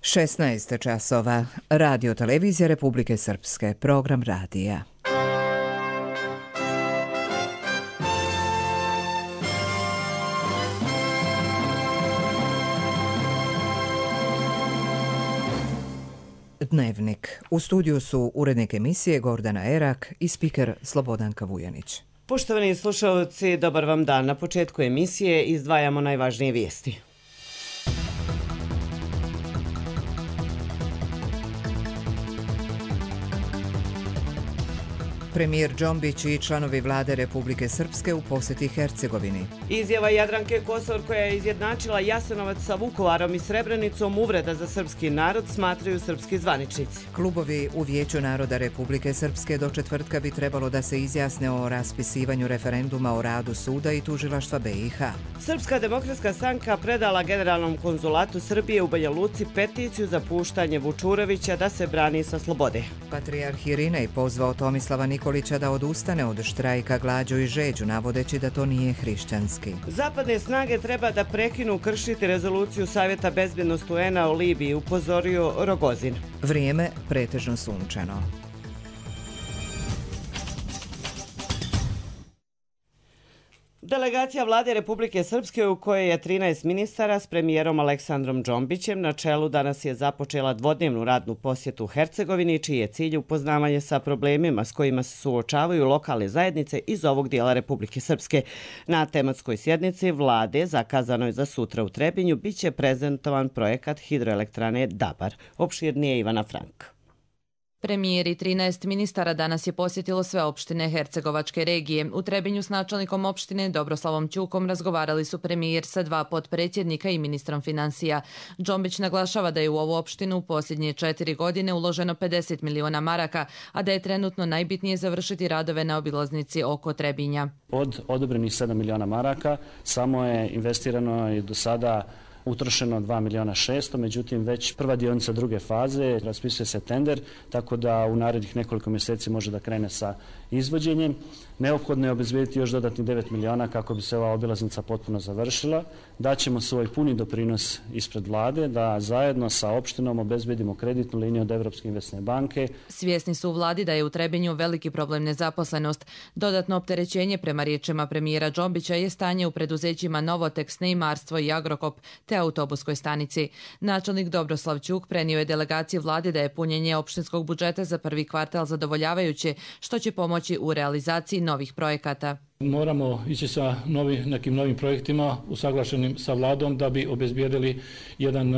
16 časova. Radio Televizija Republike Srpske. Program radija. Dnevnik. U studiju su urednik emisije Gordana Erak i spiker Slobodanka Vujanić. Poštovani slušalci, dobar vam dan. Na početku emisije izdvajamo najvažnije vijesti. Premijer Džombić i članovi vlade Republike Srpske u posjeti Hercegovini. Izjava Jadranke Kosor koja je izjednačila Jasenovac sa Vukovarom i Srebrenicom uvreda za srpski narod, smatraju srpski zvaničnici. Klubovi u Vijeću naroda Republike Srpske do četvrtka bi trebalo da se izjasne o raspisivanju referenduma o radu suda i tužilaštva BiH. Srpska demokratska stranka predala Generalnom konzulatu Srbije u Banja Luci peticiju za puštanje Vučurovića da se brani sa slobode. Patrijarh Irinej pozvao Tomislava Nikolića da odustane od štrajka glađu i žeđu, navodeći da to nije hrišćanski. Zapadne snage treba da prekinu kršiti rezoluciju Savjeta bezbednosti UN-a o Libiji, upozorio Rogozin. Vrijeme pretežno sunčano. Delegacija vlade Republike Srpske u kojoj je 13 ministara s premijerom Aleksandrom Džombićem na čelu danas je započela dvodnevnu radnu posjetu Hercegovini, čiji je cilj upoznavanje sa problemima s kojima se suočavaju lokalne zajednice iz ovog dijela Republike Srpske. Na tematskoj sjednici vlade, zakazanoj za sutra u Trebinju, biće prezentovan projekat hidroelektrane Dabar. Opširnije Ivana Frank. Premijer i 13 ministara danas je posjetilo sve opštine Hercegovačke regije. U Trebinju s načelnikom opštine Dobroslavom Ćukom razgovarali su premijer sa 2 potpredsjednika i ministrom financija. Džombić naglašava da je u ovu opštinu u posljednje 4 godine uloženo 50 miliona maraka, a da je trenutno najbitnije završiti radove na obilaznici oko Trebinja. Od odobrenih 7 miliona maraka samo je investirano i do sada utrošeno 2 miliona 600, međutim već prva dionica druge faze, raspisuje se tender, tako da u narednih nekoliko mjeseci može da krene sa izvođenjem. Neophodno je obezbediti još dodatni 9 miliona kako bi se ova obilaznica potpuno završila. Daćemo svoj puni doprinos ispred vlade da zajedno sa opštinom obezbedimo kreditnu liniju od Evropske investicione banke. Svjesni su u vladi da je u Trebinju veliki problem nezaposlenost. Dodatno opterećenje prema riječima premijera Džombića je stanje u preduzećima Novoteks, Neimarstvo i Agrokop te autobuskoj stanici. Načelnik Dobroslav Ćuk prenio je delegaciji vlade da je punjenje opštinskog budžeta za prvi kvartal zadovoljavajuće, što će pomoći u realizaciji novih projekata. Moramo ići sa nekim novim projektima usaglašenim sa vladom da bi obezbijedili jedan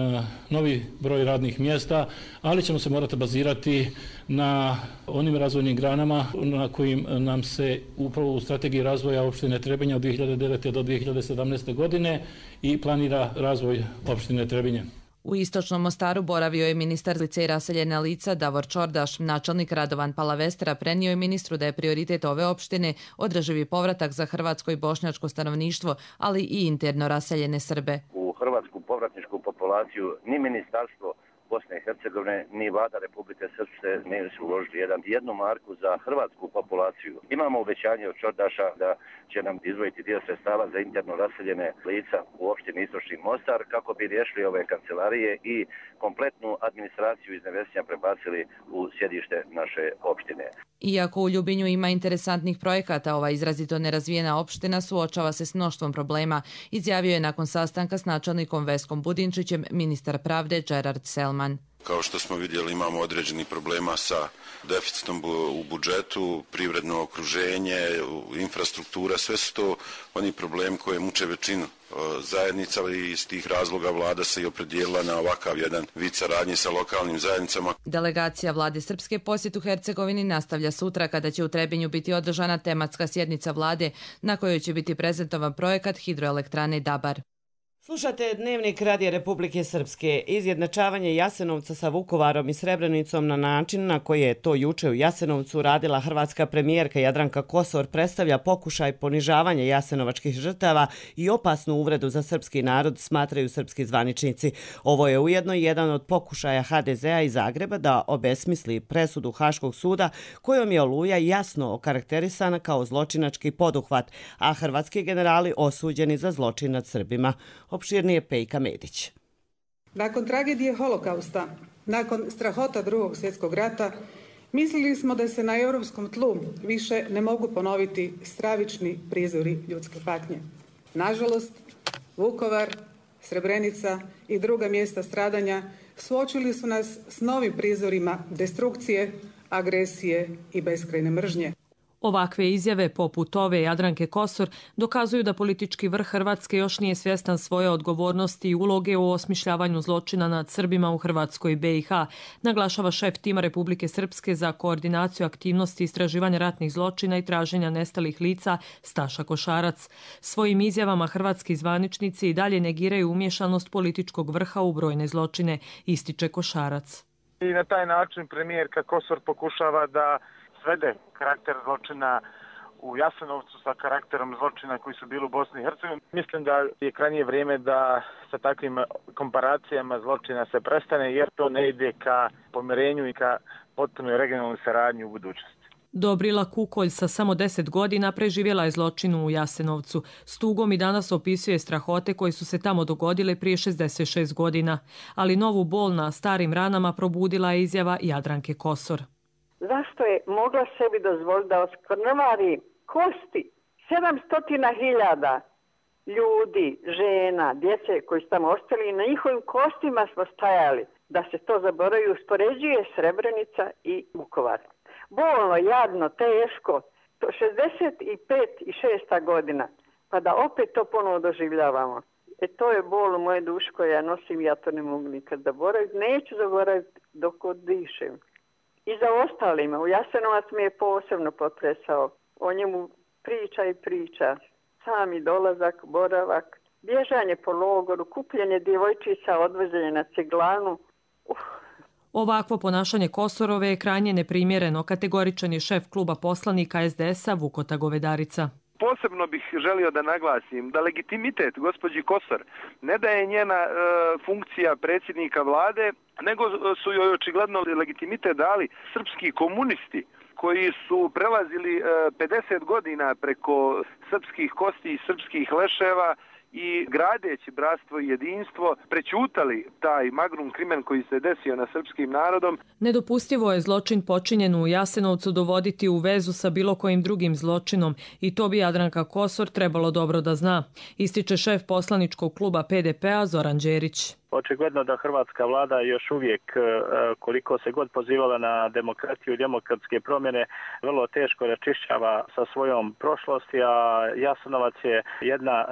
novi broj radnih mjesta, ali ćemo se morati bazirati na onim razvojnim granama na kojim nam se upravo u strategiji razvoja opštine Trebinja od 2009. do 2017. godine i planira razvoj opštine Trebinje. U istočnom Mostaru boravio je ministar lice i raseljena lica Davor Čordaš. Načelnik Radovan Palavestera prenio je ministru da je prioritet ove opštine održivi povratak za hrvatsko i bošnjačko stanovništvo, ali i interno raseljene Srbe. U hrvatsku povratničku populaciju ni ministarstvo Bosne i Hercegovine ni vlada Republike Srpske nisu uložili jednu marku za hrvatsku populaciju. Imamo obećanje od Čordaša da će nam izdvojiti dio sredstava za interno raseljene lica u opštini Istočni Mostar kako bi riješili ove kancelarije i kompletnu administraciju iz Nevesija prebacili u sjedište naše opštine. Iako u Ljubinju ima interesantnih projekata, ova izrazito nerazvijena opština suočava se s mnoštvom problema, izjavio je nakon sastanka s načelnikom Veskom Budinčićem ministar pravde Gerard Selman. Kao što smo vidjeli, imamo određeni problema sa deficitom u budžetu, privredno okruženje, infrastruktura, sve su to oni problemi koje muče većinu zajednica i iz tih razloga vlada se i opredijelila na ovakav jedan vid saradnje sa lokalnim zajednicama. Delegacija vlade Srpske posjet u Hercegovini nastavlja sutra kada će u Trebinju biti održana tematska sjednica vlade na kojoj će biti prezentovan projekat hidroelektrane Dabar. Slušate Dnevnik Radija Republike Srpske. Izjednačavanje Jasenovca sa Vukovarom i Srebrenicom na način na koji je to juče u Jasenovcu radila hrvatska premijerka Jadranka Kosor predstavlja pokušaj ponižavanja jasenovačkih žrtava i opasnu uvredu za srpski narod, smatraju srpski zvaničnici. Ovo je ujedno jedan od pokušaja HDZ-a iz Zagreba da obesmisli presudu Haškog suda kojom je Oluja jasno okarakterisana kao zločinački poduhvat, a hrvatski generali osuđeni za zločin nad Srbima. Opširnije Pejka Medić. Nakon tragedije holokausta, nakon strahota Drugog svjetskog rata, mislili smo da se na europskom tlu više ne mogu ponoviti stravični prizori ljudske patnje. Nažalost, Vukovar, Srebrenica i druga mjesta stradanja suočili su nas s novim prizorima destrukcije, agresije i beskrajne mržnje. Ovakve izjave, poput ove Jadranke Kosor, dokazuju da politički vrh Hrvatske još nije svjestan svoje odgovornosti i uloge u osmišljavanju zločina nad Srbima u Hrvatskoj i BiH, naglašava šef tima Republike Srpske za koordinaciju aktivnosti istraživanja ratnih zločina i traženja nestalih lica Staša Košarac. Svojim izjavama hrvatski zvaničnici i dalje negiraju umješanost političkog vrha u brojne zločine, ističe Košarac. I na taj način premijerka Kosor pokušava da svede karakter zločina u Jasenovcu sa karakterom zločina koji su bili u Bosni i Hercegovini. Mislim da je krajnje vrijeme da sa takvim komparacijama zločina se prestane, jer to ne ide ka pomirenju i ka potpunoj regionalnoj saradnji u budućnosti. Dobrila Kukolj sa samo 10 godina preživjela je zločin u Jasenovcu. S tugom i danas opisuje strahote koje su se tamo dogodile prije 66 godina. Ali novu bol na starim ranama probudila je izjava Jadranke Kosor. Zašto je mogla sebi dozvoliti da oskrnavari kosti 700.000 ljudi, žena, djece koji su tamo ostali i na njihovim kostima smo stajali, da se to zaboravi, uspoređuje Srebrenica i Vukovar. Bolno, jadno, teško, 65 i 6. godina, pa da opet to ponovo doživljavamo. To je bol u moje duši koje ja nosim, ja to ne mogu nikad zaboraviti, neću zaboraviti dok dišem. I za ostalima, u Jasenovac me je posebno potresao. O njemu priča i priča. Sami dolazak, boravak, bježanje po logoru, kupljenje djevojčica, odvoženje na ciglanu. Ovakvo ponašanje Kosorove je krajnje neprimjereno, kategoričan je šef kluba poslanika SDS-a Vukota Govedarica. Posebno bih želio da naglasim da legitimitet gospođi Kosor ne da je njena funkcija predsjednika vlade, nego su joj očigledno legitimitet dali srpski komunisti koji su prelazili 50 godina preko srpskih kosti i srpskih leševa i gradeći bratstvo i jedinstvo prećutali taj magnum krimen koji se desio na srpskim narodom. Nedopustivo je zločin počinjen u Jasenovcu dovoditi u vezu sa bilo kojim drugim zločinom i to bi Jadranka Kosor trebalo dobro da zna, ističe šef poslaničkog kluba PDP-a Zoran Đerić. Očigledno da hrvatska vlada još uvijek, koliko se god pozivala na demokratiju i demokratske promjene, vrlo teško raščišćava sa svojom prošlosti, a Jasenovac je jedna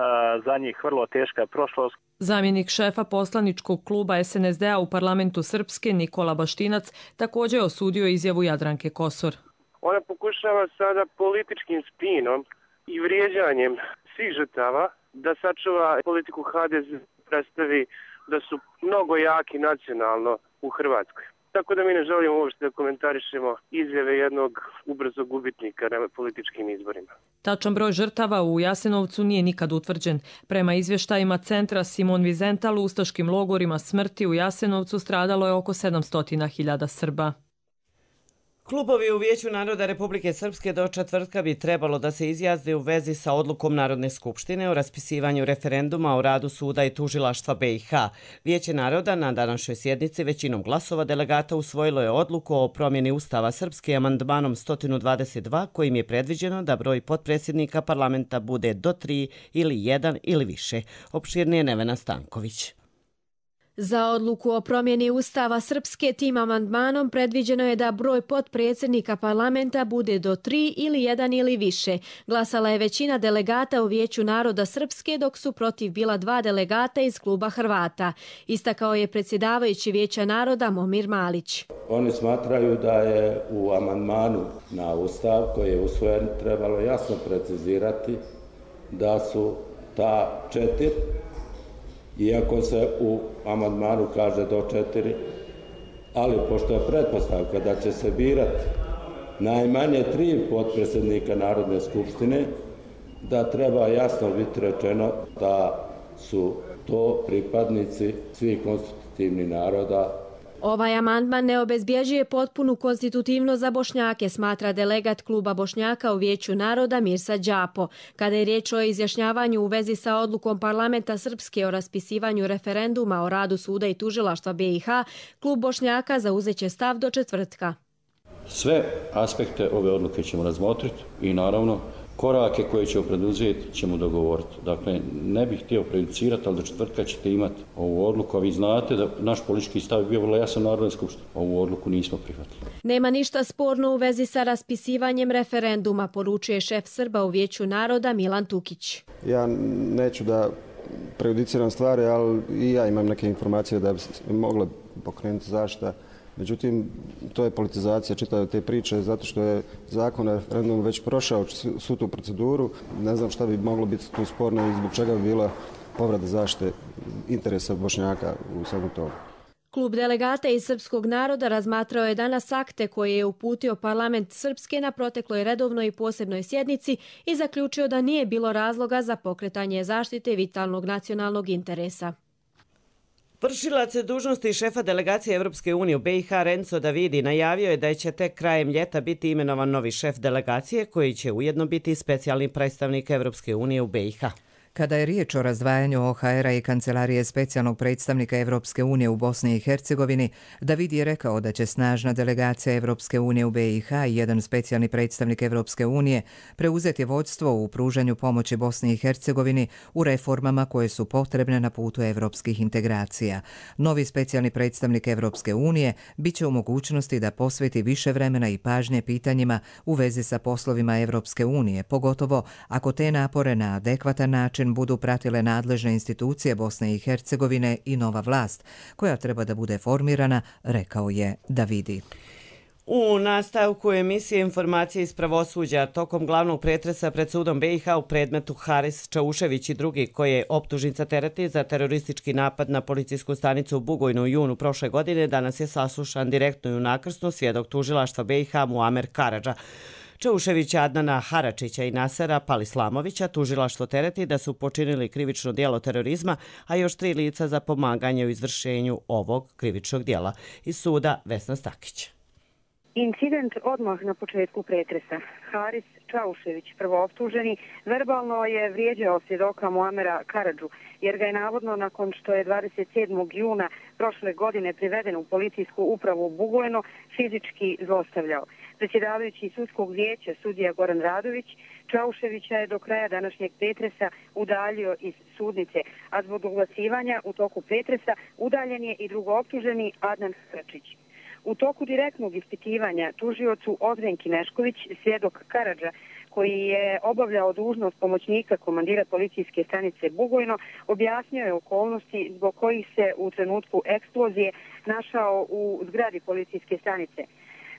za njih vrlo teška prošlost. Zamjenik šefa poslaničkog kluba SNSD-a u parlamentu Srpske Nikola Baštinac također osudio izjavu Jadranke Kosor. Ona pokušava sada političkim spinom i vrijeđanjem svih žrtava da sačuva politiku HDZ, predstavi da su mnogo jaki nacionalno u Hrvatskoj. Tako da mi ne želimo uopšte da komentarišemo izjave jednog ubrzog gubitnika na političkim izborima. Tačan broj žrtava u Jasenovcu nije nikad utvrđen. Prema izvještajima centra Simon Wiesenthal u ustaškim logorima smrti u Jasenovcu stradalo je oko 700.000 Srba. Klubovi u Vijeću naroda Republike Srpske do četvrtka bi trebalo da se izjasne u vezi sa odlukom Narodne skupštine o raspisivanju referenduma o radu suda i tužilaštva BiH. Vijeće naroda na današnjoj sjednici većinom glasova delegata usvojilo je odluku o promjeni Ustava Srpske amandmanom 122 kojim je predviđeno da broj potpredsjednika parlamenta bude do 3 ili 1 ili više. Opširnije Nevena Stanković. Za odluku o promjeni Ustava Srpske tim amandmanom predviđeno je da broj potpredsjednika parlamenta bude do 3 ili 1 ili više. Glasala je većina delegata u Vijeću naroda Srpske, dok su protiv bila 2 delegata iz kluba Hrvata. Istakao je predsjedavajući Vijeća naroda Momir Malić. Oni smatraju da je u amandmanu na Ustav koji je usvojen trebalo jasno precizirati da su ta 4, iako se u amandmanu kaže do 4, ali pošto je pretpostavka da će se birati najmanje 3 potpredsjednika Narodne skupštine, da treba jasno biti rečeno da su to pripadnici svih konstitutivnih naroda Ovaj amandman ne obezbjeđuje potpunu konstitutivnost za Bošnjake, smatra delegat kluba Bošnjaka u Vijeću naroda Mirsa Đapo. Kada je riječ o izjašnjavanju u vezi sa odlukom parlamenta Srpske o raspisivanju referenduma o radu suda i tužilaštva BiH, klub Bošnjaka zauzeće stav do četvrtka. Sve aspekte ove odluke ćemo razmotriti i naravno korake koje ćemo preduzeti ćemo dogovoriti. Dakle, ne bih htio prejudicirati, ali do četvrtka ćete imati ovu odluku, a vi znate da naš politički stav je bio vrlo jasan u Narodnoj skupštini. Ovu odluku nismo prihvatili. Nema ništa sporno u vezi sa raspisivanjem referenduma, poručuje šef Srba u Vijeću naroda Milan Tukić. Ja neću da prejudiciram stvari, ali i ja imam neke informacije da bi se mogle pokrenuti zaštita. Međutim, to je politizacija čitave te priče, zato što je zakon o referendumu već prošao svu tu proceduru. Ne znam šta bi moglo biti tu sporno i zbog čega bi bila povreda zaštite interesa Bošnjaka u svemu tomu. Klub delegata iz srpskog naroda razmatrao je danas akte koje je uputio parlament Srpske na protekloj redovnoj i posebnoj sjednici i zaključio da nije bilo razloga za pokretanje zaštite vitalnog nacionalnog interesa. Vršilac dužnosti šefa delegacije Evropske unije u BiH Renzo Davidi najavio je da će tek krajem ljeta biti imenovan novi šef delegacije koji će ujedno biti specijalni predstavnik Evropske unije u BiH. Kada je riječ o razdvajanju OHR-a i Kancelarije specijalnog predstavnika Evropske unije u Bosni i Hercegovini, David je rekao da će snažna delegacija Evropske unije u BiH i jedan specijalni predstavnik Evropske unije preuzeti vodstvo u pružanju pomoći Bosni i Hercegovini u reformama koje su potrebne na putu evropskih integracija. Novi specijalni predstavnik Evropske unije biće u mogućnosti da posveti više vremena i pažnje pitanjima u vezi sa poslovima Evropske unije, pogotovo ako te napore na adekvatan način budu pratile nadležne institucije Bosne i Hercegovine i nova vlast, koja treba da bude formirana, rekao je Davidi. U nastavku emisije Informacije iz pravosuđa tokom glavnog pretresa pred sudom BiH u predmetu Haris Čaušević i drugi, koje je optužnica tereti za teroristički napad na policijsku stanicu u Bugojnu u junu prošle godine, danas je saslušan direktno i u nakrsnu svjedok tužilaštva BiH Muamer Karadža. Čauševića, Adnana Haračića i Nasera Palislamovića tužilaštvo tereti da su počinili krivično djelo terorizma, a još 3 lica za pomaganje u izvršenju ovog krivičnog djela. Iz suda Vesna Stakić. Incident odmah na početku pretresa. Haris Čaušević, prvooptuženi, verbalno je vrijeđao svjedoka Muamera Karadžu, jer ga je navodno nakon što je 27. juna prošle godine priveden u policijsku upravu u Bugojno fizički zlostavljao. Predsjedavajući sudskog vijeća sudija Goran Radović, Čauševića je do kraja današnjeg pretresa udaljio iz sudnice, a zbog oglasivanja u toku pretresa udaljen je i drugooptuženi Adnan Haračić. U toku direktnog ispitivanja tužiocu Odrenki Nešković, svjedok Karadža, koji je obavljao dužnost pomoćnika komandira policijske stanice Bugojno, objasnio je okolnosti zbog kojih se u trenutku eksplozije našao u zgradi policijske stanice.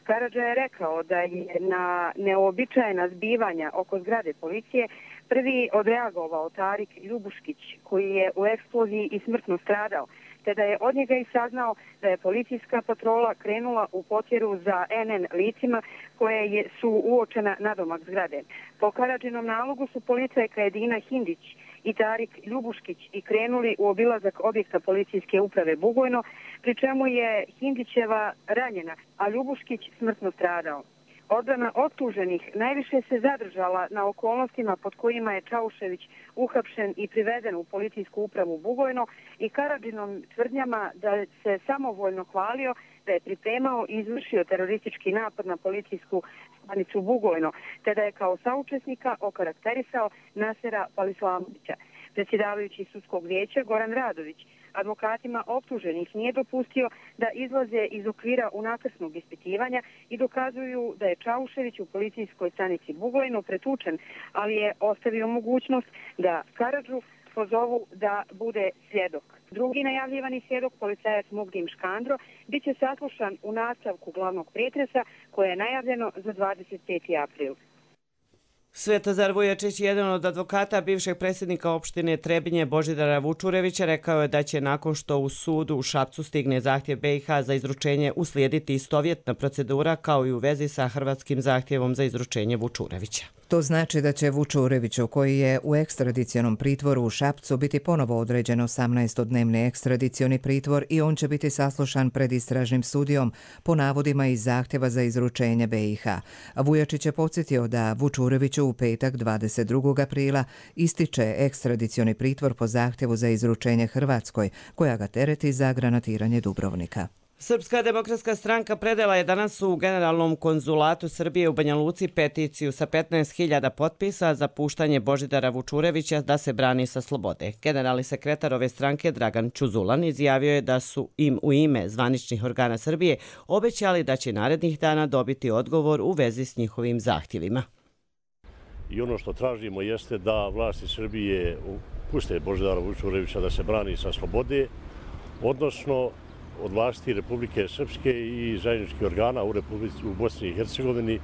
Karadža je rekao da je na neobičajna zbivanja oko zgrade policije prvi odreagovao Tarik Ljubuškić, koji je u eksploziji i smrtno stradao, te da je od njega i saznao da je policijska patrola krenula u potjeru za NN licima koje su uočena nadomak zgrade. Po Karadžinom nalogu su policajka Edina Hindić i Tarik Ljubuškić i krenuli u obilazak objekta policijske uprave Bugojno, pri čemu je Hindićeva ranjena, a Ljubuškić smrtno stradao. Odbrana optuženih najviše se zadržala na okolnostima pod kojima je Čaušević uhapšen i priveden u policijsku upravu Bugojno i Karadžinom tvrdnjama da se samovoljno hvalio da je pripremao i izvršio teroristički napad na policijsku stanicu Bugojno, te da je kao saučesnika okarakterisao Nasera Palislamovića. Predsjedavajući sudskog vijeća Goran Radović advokatima optuženih nije dopustio da izlaze iz okvira unakrsnog ispitivanja i dokazuju da je Čaušević u policijskoj stanici Bugojno pretučen, ali je ostavio mogućnost da Karadžu pozovu da bude svjedok. Drugi najavljivani svjedok, policajac Mugdim Škandro, bit će saslušan u nastavku glavnog pretresa koje je najavljeno za 25. april. Svetozar Vujačić, jedan od advokata bivšeg predsjednika opštine Trebinje Božidara Vučurevića, rekao je da će nakon što u sudu u Šapcu stigne zahtjev BiH za izručenje uslijediti istovjetna procedura kao i u vezi sa hrvatskim zahtjevom za izručenje Vučurevića. To znači da će Vučureviću, koji je u ekstradicionom pritvoru u Šapcu, biti ponovo određen 18-dnevni ekstradicioni pritvor i on će biti saslušan pred istražnim sudijom po navodima iz zahtjeva za izručenje BiH. Vujačić je podsjetio da Vučureviću u petak 22. aprila ističe ekstradicioni pritvor po zahtjevu za izručenje Hrvatskoj, koja ga tereti za granatiranje Dubrovnika. Srpska demokratska stranka predala je danas u Generalnom konzulatu Srbije u Banja Luci peticiju sa 15.000 potpisa za puštanje Božidara Vučurevića da se brani sa slobode. Generalni sekretar ove stranke Dragan Čuzulan izjavio je da su im u ime zvaničnih organa Srbije obećali da će narednih dana dobiti odgovor u vezi s njihovim zahtjevima. I ono što tražimo jeste da vlasti Srbije puste Božidara Vučurevića da se brani sa slobode, odnosno od vlasti Republike Srpske i zajedničkih organa u Bosni i Hercegovini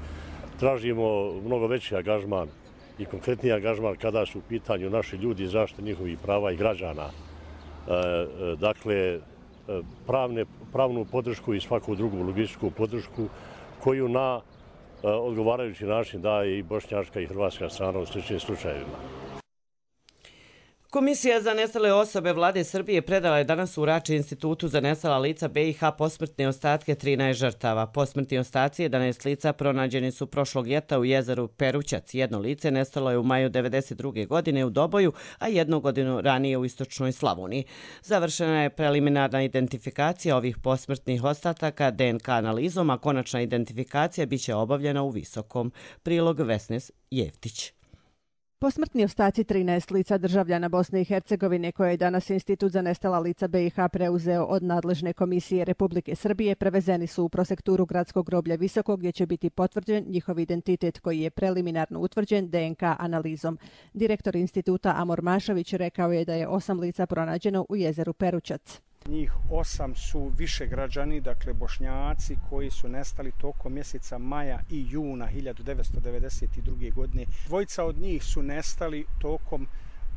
tražimo mnogo veći angažman i konkretniji angažman kada su u pitanju naši ljudi i zaštite njihovih prava i građana. Dakle, pravnu podršku i svaku drugu logističku podršku koju na odgovarajući način daje i bošnjačka i hrvatska strana u sličnim slučajevima. Komisija za nestale osobe Vlade Srbije predala je danas u Rači Institutu za nestala lica BiH posmrtne ostatke 13 žrtava. Posmrtni ostaci 11 lica pronađeni su prošlog ljeta u jezeru Perućac. Jedno lice nestalo je u maju 1992. godine u Doboju, a 1 godinu ranije u istočnoj Slavoniji. Završena je preliminarna identifikacija ovih posmrtnih ostataka DNK analizom, a konačna identifikacija biće obavljena u Visokom. Prilog Vesnes Jeftić. Posmrtni ostaci 13 lica državljana Bosne i Hercegovine koje je danas Institut za nestala lica BiH preuzeo od nadležne komisije Republike Srbije prevezeni su u prosekturu gradskog groblja Visoko gdje će biti potvrđen njihov identitet koji je preliminarno utvrđen DNK analizom. Direktor instituta Amor Mašović rekao je da je 8 lica pronađeno u jezeru Perućac. Njih 8 su više građani, dakle Bošnjaci koji su nestali tokom mjeseca maja i juna 1992. godine. Dvojica od njih su nestali tokom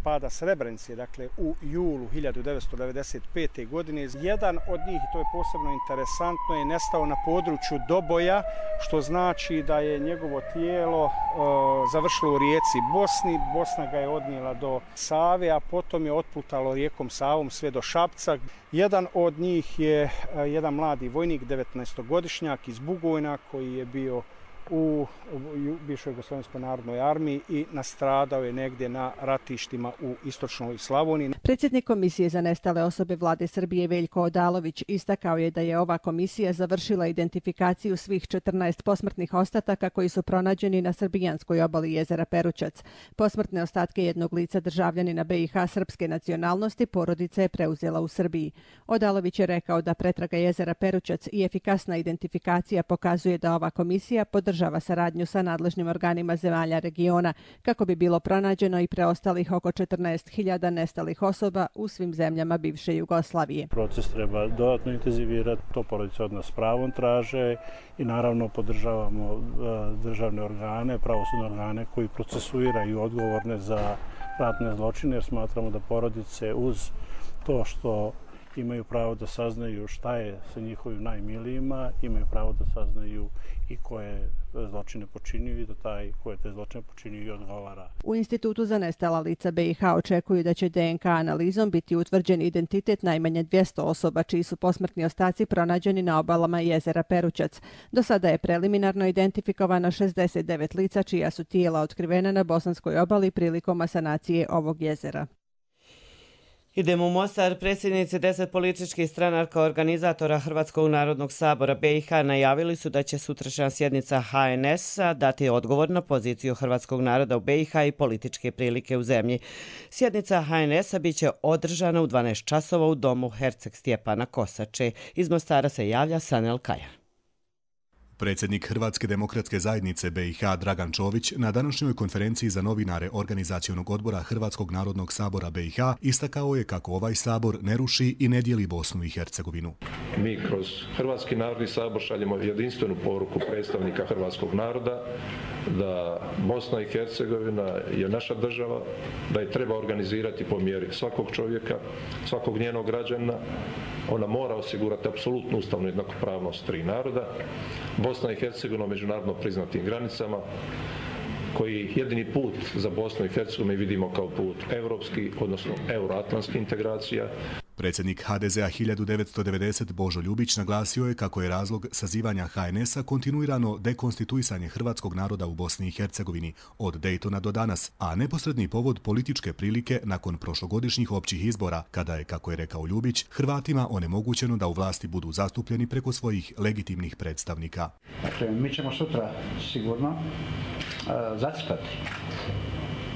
pada Srebrenice, dakle u julu 1995. godine. Jedan od njih, to je posebno interesantno, je nestao na području Doboja, što znači da je njegovo tijelo završilo u rijeci Bosni. Bosna ga je odnijela do Save, a potom je otplutalo rijekom Savom sve do Šapca. Jedan od njih je jedan mladi vojnik, 19-godišnjak iz Bugojna, koji je bio u bivšoj Jugoslovenskoj narodnoj armiji i nastradao je negdje na ratištima u istočnoj Slavoniji. Predsjednik Komisije za nestale osobe Vlade Srbije Veljko Odalović istakao je da je ova komisija završila identifikaciju svih 14 posmrtnih ostataka koji su pronađeni na srbijanskoj obali jezera Perućac. Posmrtne ostatke jednog lica državljanina BiH srpske nacionalnosti porodica je preuzela u Srbiji. Odalović je rekao da pretraga jezera Perućac i efikasna identifikacija pokazuje da ova komisija podržava saradnju sa nadležnim organima zemalja regiona kako bi bilo pronađeno i preostalih oko 14.000 nestalih osoba u svim zemljama bivše Jugoslavije. Proces treba dodatno intenzivirati, to porodice od nas s pravom traže i naravno podržavamo državne organe, pravosudne organe koji procesuiraju odgovorne za ratne zločine, jer smatramo da porodice uz to što imaju pravo da saznaju šta je sa njihovim najmilijima, imaju pravo da saznaju i koje zločine počinjuju i da taj koje te zločine počinjuju i odgovara. U Institutu za nestala lica BiH očekuju da će DNK analizom biti utvrđen identitet najmanje 200 osoba čiji su posmrtni ostaci pronađeni na obalama jezera Perućac. Do sada je preliminarno identifikovano 69 lica čija su tijela otkrivena na bosanskoj obali prilikom asanacije ovog jezera. Idemo u Mostar. Predsjednici 10 političkih stranaka organizatora Hrvatskog narodnog sabora BiH najavili su da će sutrašnja sjednica HNS-a dati odgovor na poziciju hrvatskog naroda u BiH i političke prilike u zemlji. Sjednica HNS-a biće održana u 12 časova u domu Herceg Stjepana Kosače. Iz Mostara se javlja Sanel Kajan. Predsjednik Hrvatske demokratske zajednice BiH Dragan Čović na današnjoj konferenciji za novinare Organizacionog odbora Hrvatskog narodnog sabora BiH istakao je kako ovaj sabor ne ruši i ne dijeli Bosnu i Hercegovinu. Mi kroz Hrvatski narodni sabor šaljemo jedinstvenu poruku predstavnika hrvatskog naroda da Bosna i Hercegovina je naša država, da je treba organizirati po mjeri svakog čovjeka, svakog njenog građana. Ona mora osigurati apsolutnu ustavnu jednakopravnost tri naroda. Bosna i Hercegovina međunarodno priznatim granicama, koji jedini put za Bosnu i Hercegovinu vidimo kao put evropski, odnosno euroatlantskih integracija. Predsjednik HDZ-a 1990 Božo Ljubić naglasio je kako je razlog sazivanja HNS-a kontinuirano dekonstituisanje hrvatskog naroda u Bosni i Hercegovini od Dejtona do danas, a neposredni povod političke prilike nakon prošlogodišnjih općih izbora, kada je, kako je rekao Ljubić, Hrvatima onemogućeno da u vlasti budu zastupljeni preko svojih legitimnih predstavnika. Dakle, mi ćemo sutra sigurno zacrtati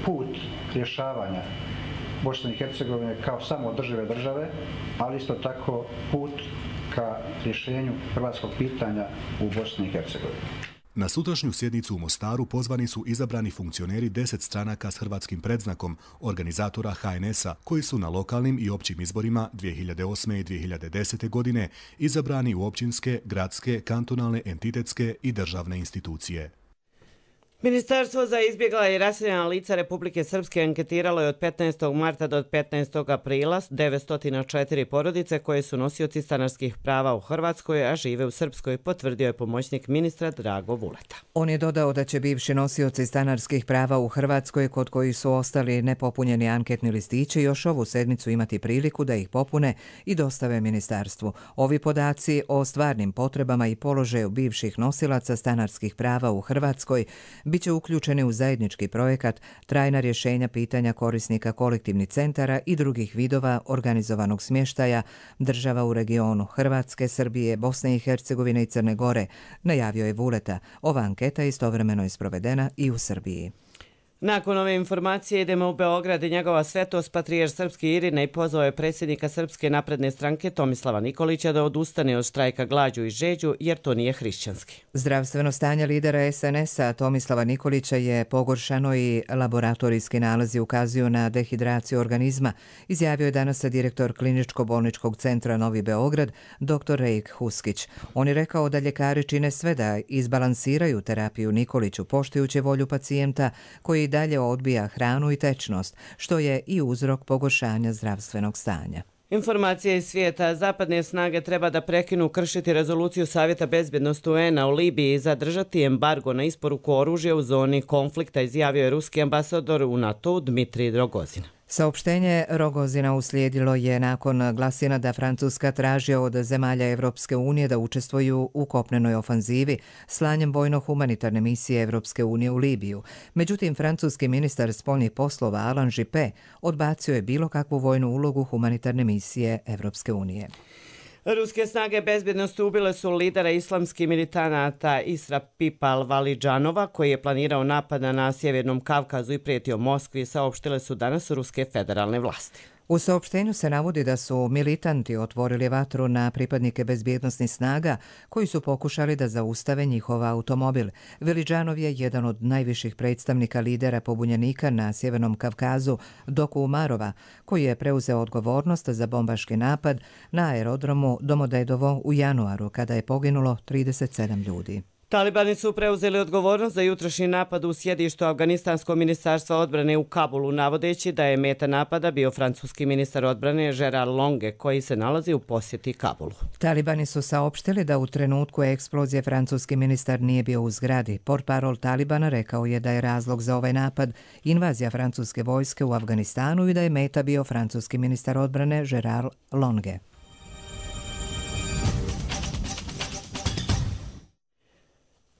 put rješavanja Bosne i Hercegovine kao samoodržive države, ali isto tako put ka rješenju hrvatskog pitanja u Bosni i Hercegovini. Na sutrašnju sjednicu u Mostaru pozvani su izabrani funkcioneri 10 stranaka s hrvatskim predznakom, organizatora HNS-a, koji su na lokalnim i općim izborima 2008. i 2010. godine izabrani u općinske, gradske, kantonalne, entitetske i državne institucije. Ministarstvo za izbjegla i raseljena lica Republike Srpske anketiralo je od 15. marta do 15. aprila 904 porodice koje su nosioci stanarskih prava u Hrvatskoj, a žive u Srpskoj, potvrdio je pomoćnik ministra Drago Vuleta. On je dodao da će bivši nosioci stanarskih prava u Hrvatskoj, kod kojih su ostali nepopunjeni anketni listići, još ovu sedmicu imati priliku da ih popune i dostave ministarstvu. Ovi podaci o stvarnim potrebama i položaju bivših nosilaca stanarskih prava u Hrvatskoj biće uključeni u zajednički projekat Trajna rješenja pitanja korisnika kolektivnih centara i drugih vidova organizovanog smještaja država u regionu Hrvatske, Srbije, Bosne i Hercegovine i Crne Gore, najavio je Vuleta. Ova anketa istovremeno je sprovedena i u Srbiji. Nakon ove informacije idemo u Beograd i njegova svetost patrijarh srpski Irina i pozvao je predsjednika Srpske napredne stranke Tomislava Nikolića da odustane od štrajka glađu i žeđu jer to nije hrišćanski. Zdravstveno stanje lidera SNS-a Tomislava Nikolića je pogoršano i laboratorijski nalazi ukazuju na dehidraciju organizma, izjavio je danas direktor Kliničko-bolničkog centra Novi Beograd, dr. Rejk Huskić. On je rekao da ljekari čine sve da izbalansiraju terapiju Nikoliću, poštujući volju pacijenta koji dalje odbija hranu i tečnost, što je i uzrok pogoršanja zdravstvenog stanja. Informacije iz svijeta. Zapadne snage treba da prekinu kršiti rezoluciju Savjeta bezbjednosti UN-a u Libiji i zadržati embargo na isporuku oružja u zoni konflikta, izjavio je ruski ambasador u NATO Dmitrij Rogozin. Saopštenje Rogozina uslijedilo je nakon glasina da Francuska traži od zemalja Evropske unije da učestvuju u kopnenoj ofanzivi slanjem vojno-humanitarne misije Evropske unije u Libiju. Međutim, francuski ministar spoljnih poslova Alain Juppé odbacio je bilo kakvu vojnu ulogu humanitarne misije Evropske unije. Ruske snage bezbjednosti ubile su lidera islamskih militanata Isra-Pipa Al-Validžanova, koji je planirao napad na Sjevernom Kavkazu i prijetio Moskvi, saopštile su danas ruske federalne vlasti. U saopštenju se navodi da su militanti otvorili vatru na pripadnike bezbjednosnih snaga koji su pokušali da zaustave njihov automobil. Validžanov je jedan od najviših predstavnika lidera pobunjenika na Sjevernom Kavkazu, Doku Umarova, koji je preuzeo odgovornost za bombaški napad na aerodromu Domodedovo u januaru, kada je poginulo 37 ljudi. Talibani su preuzeli odgovornost za jutrošnji napad u sjedištu Afganistanskog ministarstva odbrane u Kabulu, navodeći da je meta napada bio francuski ministar odbrane Gerard Longue, koji se nalazi u posjeti Kabulu. Talibani su saopštili da u trenutku eksplozije francuski ministar nije bio u zgradi. Portparol Talibana rekao je da je razlog za ovaj napad invazija francuske vojske u Afganistanu i da je meta bio francuski ministar odbrane Gerard Longue.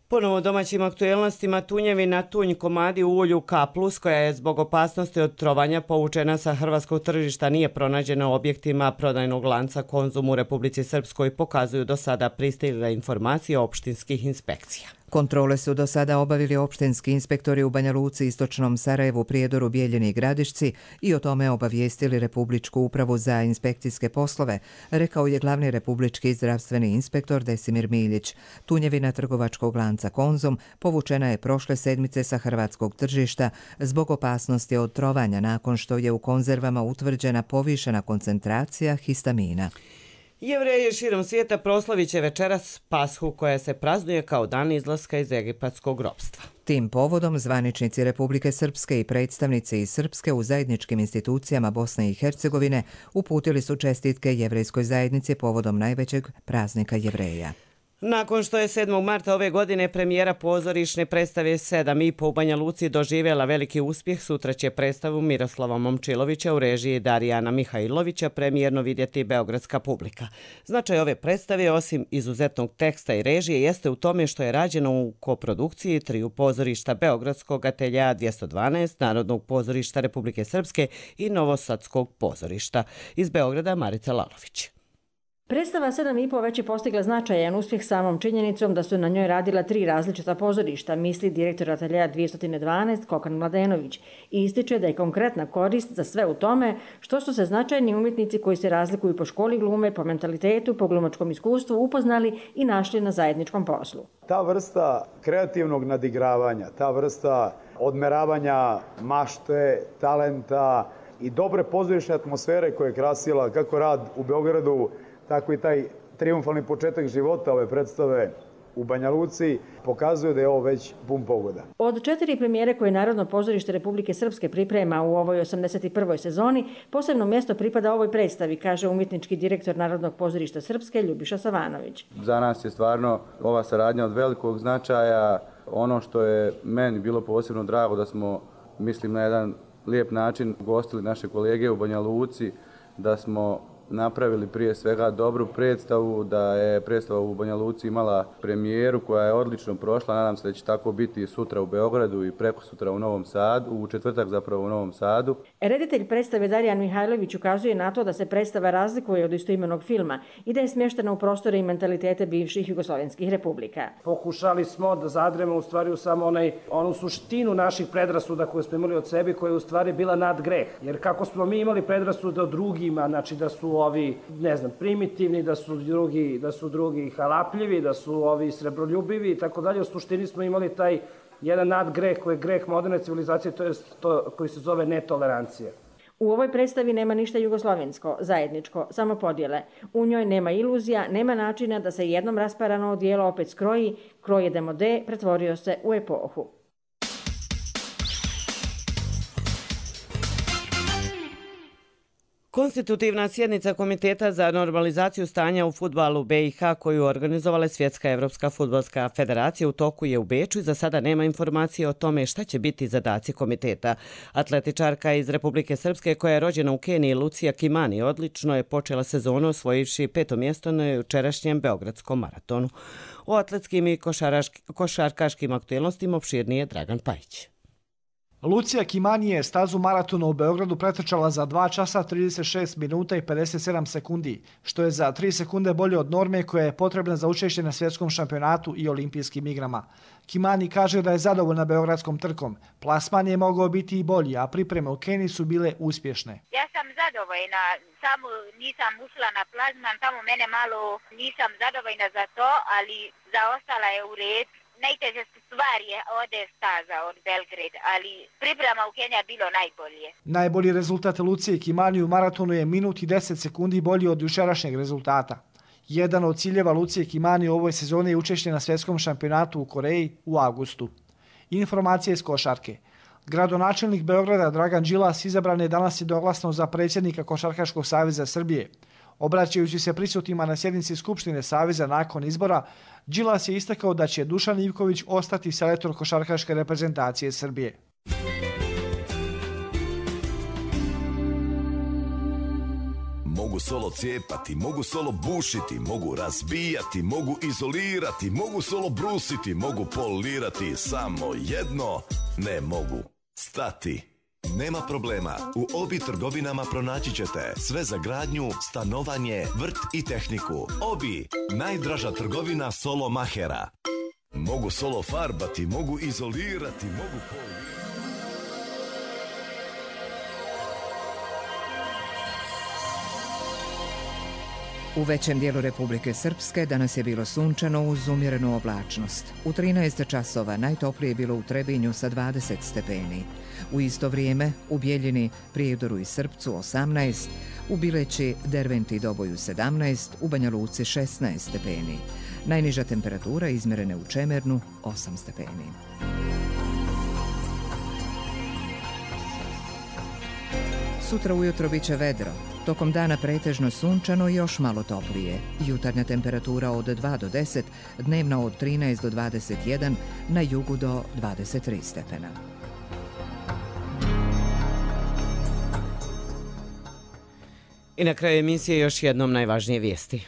Ponovo domaćim aktuelnostima tunjevina tunj komadi u ulju K+, koja je zbog opasnosti od trovanja povučena sa hrvatskog tržišta, nije pronađena u objektima prodajnog lanca Konzum u Republici Srpskoj, pokazuju do sada pristigle informacije opštinskih inspekcija. Kontrole su do sada obavili opštinski inspektori u Banja Luci, Istočnom Sarajevu, Prijedoru, Bijeljini i Gradišci i o tome obavijestili Republičku upravu za inspekcijske poslove, rekao je glavni republički zdravstveni inspektor Desimir Miljić. Tunjevina trgovačkog lanca Konzum povučena je prošle sedmice sa hrvatskog tržišta zbog opasnosti od trovanja nakon što je u konzervama utvrđena povišena koncentracija histamina. Jevreji širom svijeta proslavit će večeras Pashu, koja se praznuje kao dan izlaska iz egipatskog ropstva. Tim povodom zvaničnici Republike Srpske i predstavnici iz Srpske u zajedničkim institucijama Bosne i Hercegovine uputili su čestitke jevrejskoj zajednici povodom najvećeg praznika Jevreja. Nakon što je 7. marta ove godine premijera pozorišne predstave 7,5 u Banja Luci doživjela veliki uspjeh, sutra će predstavu Miroslava Momčilovića u režiji Darijana Mihajlovića premijerno vidjeti beogradska publika. Značaj ove predstave, osim izuzetnog teksta i režije, jeste u tome što je rađeno u koprodukciji triju pozorišta Beogradskog ateljea 212, Narodnog pozorišta Republike Srpske i Novosadskog pozorišta. Iz Beograda Marica Lalović. Predstava 7,5 već je postigla značajan uspjeh samom činjenicom da su na njoj radila 3 različita pozorišta, misli direktor ateljea 212 Kokan Mladenović i ističe da je konkretna korist za sve u tome što su se značajni umjetnici koji se razlikuju po školi glume, po mentalitetu, po glumačkom iskustvu upoznali i našli na zajedničkom poslu. Ta vrsta kreativnog nadigravanja, ta vrsta odmeravanja mašte, talenta i dobre pozorišne atmosfere koje je krasila kako rad u Beogradu, tako i taj triumfalni početak života ove predstave u Banja Luci pokazuje da je ovo već pun pogoda. Od 4 premijere koje Narodno pozorište Republike Srpske priprema u ovoj 81. sezoni, posebno mjesto pripada ovoj predstavi, kaže umjetnički direktor Narodnog pozorišta Srpske Ljubiša Savanović. Za nas je stvarno ova saradnja od velikog značaja. Ono što je meni bilo posebno drago da smo, mislim, na jedan lijep način gostili naše kolege u Banja Luci, da smo napravili prije svega dobru predstavu, da je predstava u Banja Luci imala premijeru koja je odlično prošla. Nadam se da će tako biti sutra u Beogradu i prekosutra u Novom Sadu, u četvrtak zapravo u Novom Sadu. Reditelj predstave Darijan Mihajlović ukazuje na to da se predstava razlikuje od istoimenog filma i da je smještena u prostore i mentalitete bivših jugoslovenskih republika. Pokušali smo da zadremo u stvari u samo onu suštinu naših predrasuda koje smo imali od sebe, koja je u stvari bila nadgreh. Jer kako smo mi imali predrasude od drugima, znači da su ovi, ne znam, primitivni, da su drugi halapljivi, da su ovi srebroljubivi i tako dalje. U suštini smo imali taj jedan nadgreh koji je greh moderne civilizacije, to je to koji se zove netolerancija. U ovoj predstavi nema ništa jugoslovensko, zajedničko, samo podjele. U njoj nema iluzija, nema načina da se jednom rasparano odijelo opet skroji, kroj je demode, pretvorio se u epohu. Konstitutivna sjednica Komiteta za normalizaciju stanja u fudbalu BiH koju organizovala Svjetska evropska fudbalska federacija u toku je u Beču i za sada nema informacije o tome šta će biti zadaci komiteta. Atletičarka iz Republike Srpske koja je rođena u Keniji, Lucija Kimani, odlično je počela sezonu osvojivši 5. mjesto na jučerašnjem Beogradskom maratonu. O atletskim i košarkaškim aktualnostima opširnije Dragan Pajić. Lucija Kimani je stazu maratona u Beogradu pretrčala za 2 časa 36 minuta i 57 sekundi, što je za 3 sekunde bolje od norme koja je potrebna za učešće na svjetskom šampionatu i olimpijskim igrama. Kimani kaže da je zadovoljna beogradskom trkom. Plasman je mogao biti i bolji, a pripreme u Keniji su bile uspješne. Ja sam zadovoljna, samo nisam ušla na plasman, tamo mene malo nisam zadovoljna za to, ali zaostala je u red. Najteže stvar je ode staza od Belgrade, ali priprema u Keniji bilo najbolje. Najbolji rezultat Lucije Kimani u maratonu je minut i 10 sekundi bolji od jučerašnjeg rezultata. Jedan od ciljeva Lucije Kimani u ovoj sezoni je učešće na svjetskom šampionatu u Koreji u avgustu. Informacije iz košarke. Gradonačelnik Beograda Dragan Đilas izabran je danas jednoglasno za predsjednika Košarkaškog saveza Srbije. Obraćajući se prisutnima na sjednici Skupštine Saveza nakon izbora, Đilas je istakao da će Dušan Ivković ostati selektor košarkaške reprezentacije Srbije. Mogu solo cijepati, mogu solo bušiti, mogu razbijati, mogu izolirati, mogu solo brusiti, mogu polirati, samo jedno ne mogu stati. Nema problema, u Obi trgovinama pronaći ćete sve za gradnju, stanovanje, vrt i tehniku. Obi, najdraža trgovina solo mahera. Mogu solo farbati, mogu izolirati, mogu polirati. U većem dijelu Republike Srpske danas je bilo sunčano uz umjerenu oblačnost. U 13 časova najtoplije je bilo u Trebinju sa 20 stepeni. U isto vrijeme u Bjeljini, Prijedoru i Srpcu 18, u Bileći, Derventi i Doboju 17, u Banja Luci 16 stepeni. Najniža temperatura izmjerena u Čemernu 8 stepeni. Sutra ujutro bit će vedro. Tokom dana pretežno sunčano i još malo toplije. Jutarnja temperatura od 2 do 10, dnevna od 13 do 21, na jugu do 23 stepena. I na kraju emisije još jednom najvažnije vijesti.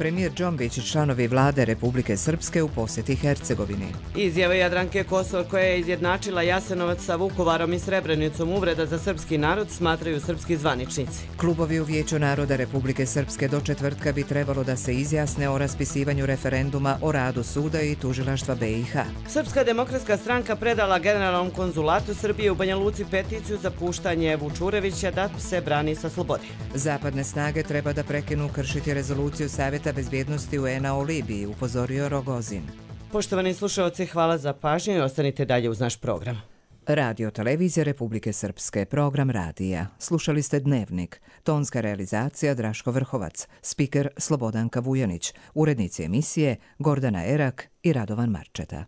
Premijer Džombić i članovi vlade Republike Srpske u posjeti Hercegovini. Izjava Jadranke Kosor koja je izjednačila Jasenovac sa Vukovarom i Srebrenicom uvreda za srpski narod smatraju srpski zvaničnici. Klubovi u Vijeću naroda Republike Srpske do četvrtka bi trebalo da se izjasne o raspisivanju referenduma o radu suda i tužilaštva BiH. Srpska demokratska stranka predala generalnom konzulatu Srbije u Banja Luci peticiju za puštanje Vučurevića da se brani sa slobode. Zapadne snage treba da prekinu kršiti rezoluciju Savjeta bezbjednosti UN-a o Libiji, upozorio Rogozin. Poštovani slušalci, hvala za pažnju i ostanite dalje uz naš program. Radio Televizija Republike Srpske, program radija. Slušali ste Dnevnik, tonska realizacija Draško Vrhovac, spiker Slobodanka Vujanić, urednici emisije Gordana Erak i Radovan Marčeta.